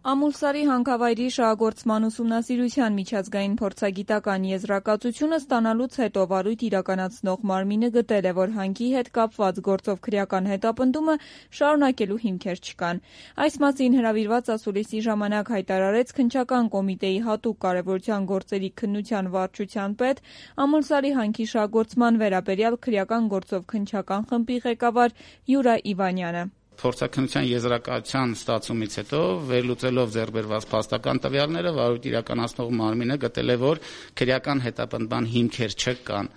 Ամուլսարի հանքավայրի շահագործման ուսումնասիրության միջազգային փորձագիտական եզրակացությունը ստանալուց հետո վարույթ իրականացնող մարմինը գտել է, որ հանքի հետ կապված գործով քրեական հետապնդումը շարունակելու հիմքեր չկան։ Այս մասին հրավիրված ասուլիսի ժամանակ հայտարարեց Քննչական կոմիտեի հատուկ կարևորության գործերի քննության վարչության պետ, Ամուլսարի հանքի շահագործման վերաբերյալ քրեական գործով քննչական խմբի ղեկավար Յուրա Իվանյանը։ Փորձաքննության եզրակացության ստացումից հետո վերլուծելով ձեռքբերված փաստական տվյալները վարույթ իրականացնող մարմինը գտել է, որ քրեական հետապնդման հիմքեր չկան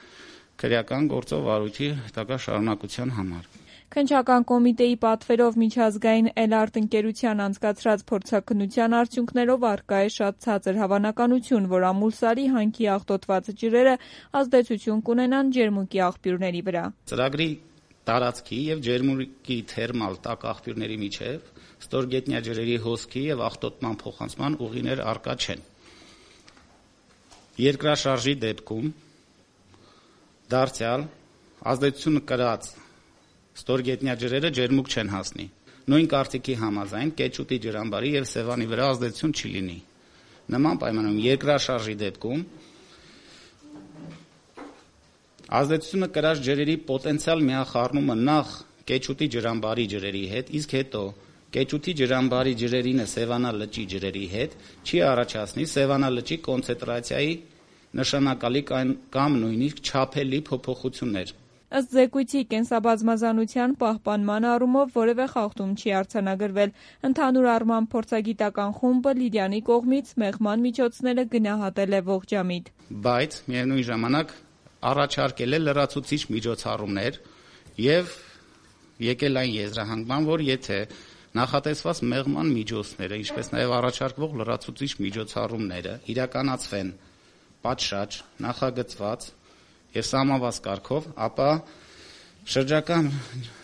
քրեական գործով վարույթի հետագա շարունակության համար։ Քննչական կոմիտեի պատվերով միջազգային Էլարտ ընկերության անցկացրած փորձաքննության արդյունքներով առկա է շատ ցածր հավանականություն, որ Ամուլսարի հանքի աղտոտված ջրերը ազդեցություն կունենան ջերմուկի աղբյուրների վրա։ Ծրագրի տարածքի եւ ջերմուկի թերմալ տաք աղբյուրների միջև ստորգետնյա ջրերի հոսքի եւ աղտոտման փոխանցման ուղիներ առկա չեն։ Երկրաշարժի դեպքում դարձյալ ազդեցությունը կրած ստորգետնյա ջրերը ջերմուկ չեն հասնի։ Նույն կարծիքի համաձայն Կեչուտի ջրամբարի եւ Սևանի վրա ազդեցություն չի լինի։ Նման պայմաններում երկրաշարժի դեպքում ազդեցությունը կրած ջրերի պոտենցիալ միախառնումը նախ Կեչուտի ջրամբարի ջրերի հետ, իսկ հետո Կեչուտի ջրամբարի ջրերինը Սևանա լճի ջրերի հետ չի առաջացնի Սևանա լճի կոնցենտրացիայի նշանակալի կամ նույնիսկ չափելի փոփոխություններ։ Ըստ զեկույցի կենսաբազմազանության պահպանման առումով որևէ խախտում չի արձանագրվել։ Ընդհանուր առմամբ փորձագիտական խումբը Լիդյանի կողմից մեղման միջոցները գնահատել է ողջամիտ։ Բայց միևնույն ժամանակ առաջարկել է լրացուցիչ միջոցառումներ եւ եկել այն եզրահանգման, որ եթե նախատեսված մեղման միջոցները, ինչպես նաեւ առաջարկվող լրացուցիչ միջոցառումները իրականացվեն պատշաճ, նախագծված եւ սահմանված կարգով, ապա շրջակա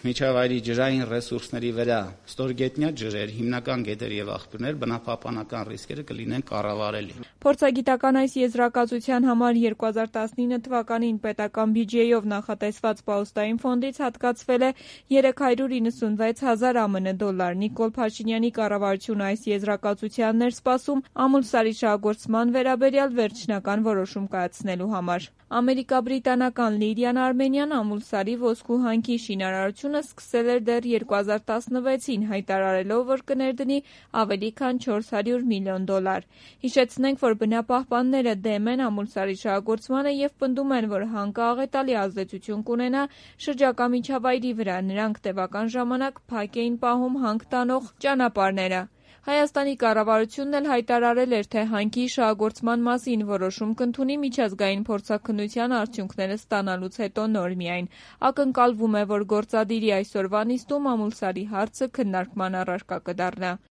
միջավայրի ջրային ռեսուրսների վրա ստորգետնյա ջրեր, հիմնական գետեր եւ աղբյուրներ բնապահպանական ռիսկերը կլինեն կառավարելի։ Փորձագիտական այս եզրակացության համար 2019 թվականին պետական բյուջեով նախատեսված պահոստային ֆոնդից հատկացվել է 396,000 ԱՄՆ դոլար։ Նիկոլ Փաշինյանի կառավարությունը այս եզրակացությանն էր սպասում Ամուլսարի շահագործման վերաբերյալ վերջնական որոշում կայացնելու համար։ Ամերիկա-բրիտանական Լիդիան Արմենյան Ամուլսարի ոսկու հանքի շինարարությունը սկսել էր դեռ 2016-ին, հայտարարելով, որ կներդնի ավելի քան 400 միլիոն դոլար։ Հիշեցնենք, որ բնապահպանները դեմ են Ամուլսարի շահագործմանը եւ պնդում են, որ հանքը աղետալի ազդեցություն կունենա շրջակա միջավայրի վրա։ Նրանք տևական ժամանակ փակ էին պահում հանք տանող ճանապարհները։ Հայաստանի կառավարությունն էլ հայտարարել էր, թե հանքի շահագործման մասին որոշում կընդունի միջազգային փորձաքննության արդյունքները ստանալուց հետո նոր միայն։ Ակնկալվում է, որ գործադիրի այսօրվա նիստում Ամուլսարի հարցը քննարկման առարկա կդառնա։